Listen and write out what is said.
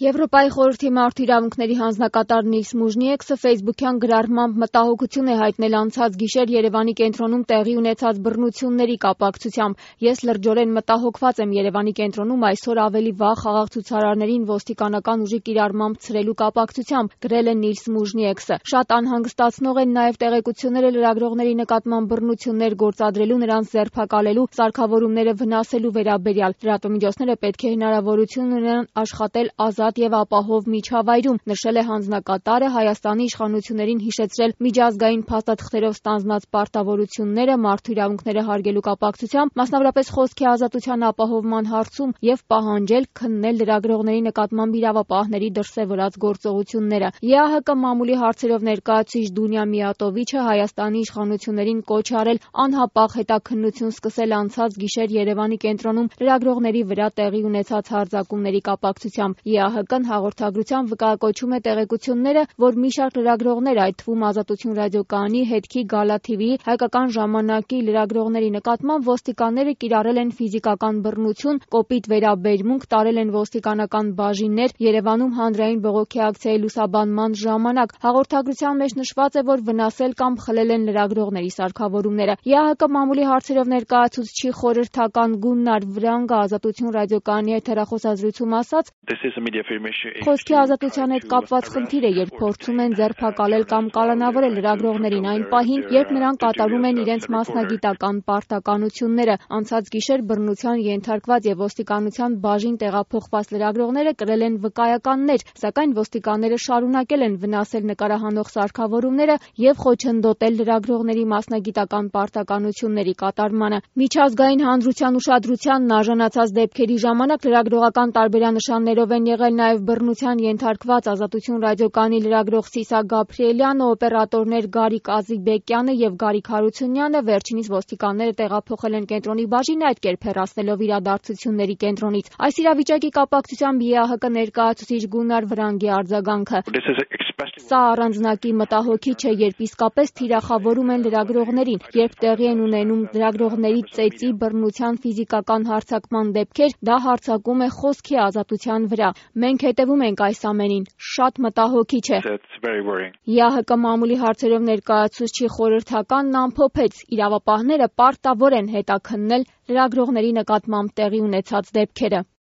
Եվրոպայի խորհրդի մարդու իրավունքների հանձնակատար Նիլս Մուժնիեքսը ֆեյսբուքյան գրառմամբ մտահոգություն է հայտնել անցած գիշեր Երևանի կենտրոնում տեղի ունեցած բռնությունների կապակցությամբ։ Ես լրջորեն մտահոգված եմ Երևանի կենտրոնում այսօր ավելի վաղ խաղաղ ցուցարարներին ոստիկանական ուժի կիրառմամբ ցրելու կապակցությամբ, գրել է Նիլս Մուժնիեքսը։ Շատ անհանգստացնող են նաև տեղեկությունները լրագրողների նկատմամբ բռնություններ գործադրելու, նրանց ձերբակալելու, սարքավորումները վնասելու վերաբերյալ։ Լրատվամիջոցները պետք է հնարավորություն ունենան աշխատել ազատ եւ ապահով միջավայրում, նշել է հանձնակատարը, Հայաստանի իշխանություններին հիշեցրել միջազգային փաստաթղթերով ստանձնած պարտավորությունները մարդու իրավունքները հարգելու կապակցությամբ, մասնավորապես խոսքի ազատության ապահովման հարցում եւ պահանջել քննել լրագրողների նկատմամբ իրավապահների դրսեւորած գործողությունները։ ԵԱՀԿ մամուլի հարցերով ներկայացուցիչ Դունյա Միատովիչը Հայաստանի իշխանություններին կոչ արել անհապաղ հետաքննություն սկսել անցած գիշեր Երևանի կենտրոնում լրագրողների վրա տեղի ունեցած հարձակումների կապակցությամբ։ ԵԱՀԿ-ն հաղորդագրությամբ վկայակոչում է տեղեկությունները, որ մի շարք լրագրողներ, այդ թվում Ազատություն ռադիոկայանի, Հետքի, Գալա TV-ի, Հայկական ժամանակի լրագրողների նկատմամբ ոստիկանները կիրառել են ֆիզիկական բռնություն, կոպիտ վերաբերմունք, տարել են ոստիկանական բաժիններ Երևանում հանրային բողոքի ակցիայի լուսաբանման ժամանակ։ Հաղորդագրության մեջ նշված է, որ վնասել կամ խլել են լրագրողների սարքավորումները։ ԵԱՀԿ մամուլի հարցերով ներկայացուցչի խորհրդական Գուննար Վրանգը Ազատություն ռադիոկայանի հետ հեռախոսազրույցում ասաց. Խոսքի ազատության հետ կապված խնդիր է, երբ փորձում են ձերբակալել կամ կալանավորել լրագրողներին այն պահին, երբ նրանք կատարում են իրենց մասնագիտական պարտականությունները։ Անցած գիշեր բռնության ենթարկված եւ ոստիկանության բաժին տեղափոխված լրագրողները կրել են վկայականներ, սակայն ոստիկանները շարունակել են վնասել նկարահանող սարքավորումները եւ խոչընդոտել լրագրողների մասնագիտական պարտականությունների կատարմանը։ Միջազգային հանրության ուշադրությանն արժանացած դեպքերի ժամանակ լրագրողական տարբերանշաններով են եղել նաև բռնության ենթարկված Ազատություն ռադիոկայանի լրագրող Սիսա Գաբրիելյանը, օպերատորներ Գարիկ Ազիբեկյանը եւ Գարիկ Հարությունյանը։ Վերջինիս ոստիկանները տեղափոխել են կենտրոնի բաժին, այդ կերպ հեռացնելով իրադարձությունների կենտրոնից։ Այս իրավիճակի կապակցությամբ ԵԱՀԿ ներկայացուցիչ Գուննար Վրանգի արձագանքը. Սա առանձնակի մտահոգիչ է, երբ իսկապես թիրախավորում են լրագրողներին, երբ տեղի են ունենում լրագրողների ծեծի, բռնության, ֆիզիկական հարձակման դեպքեր, դա հարձակում է խոսքի ազատության վրա։ Մենք հետևում ենք այս ամենին, շատ մտահոգիչ է։ ԵԱՀԿ մամուլի հարցերով ներկայացուցչի խորհրդականն ամփոփեց. իրավապահները պարտավոր են հետաքննել լրագրողների նկատմամբ տեղի ունեցած դեպքերը։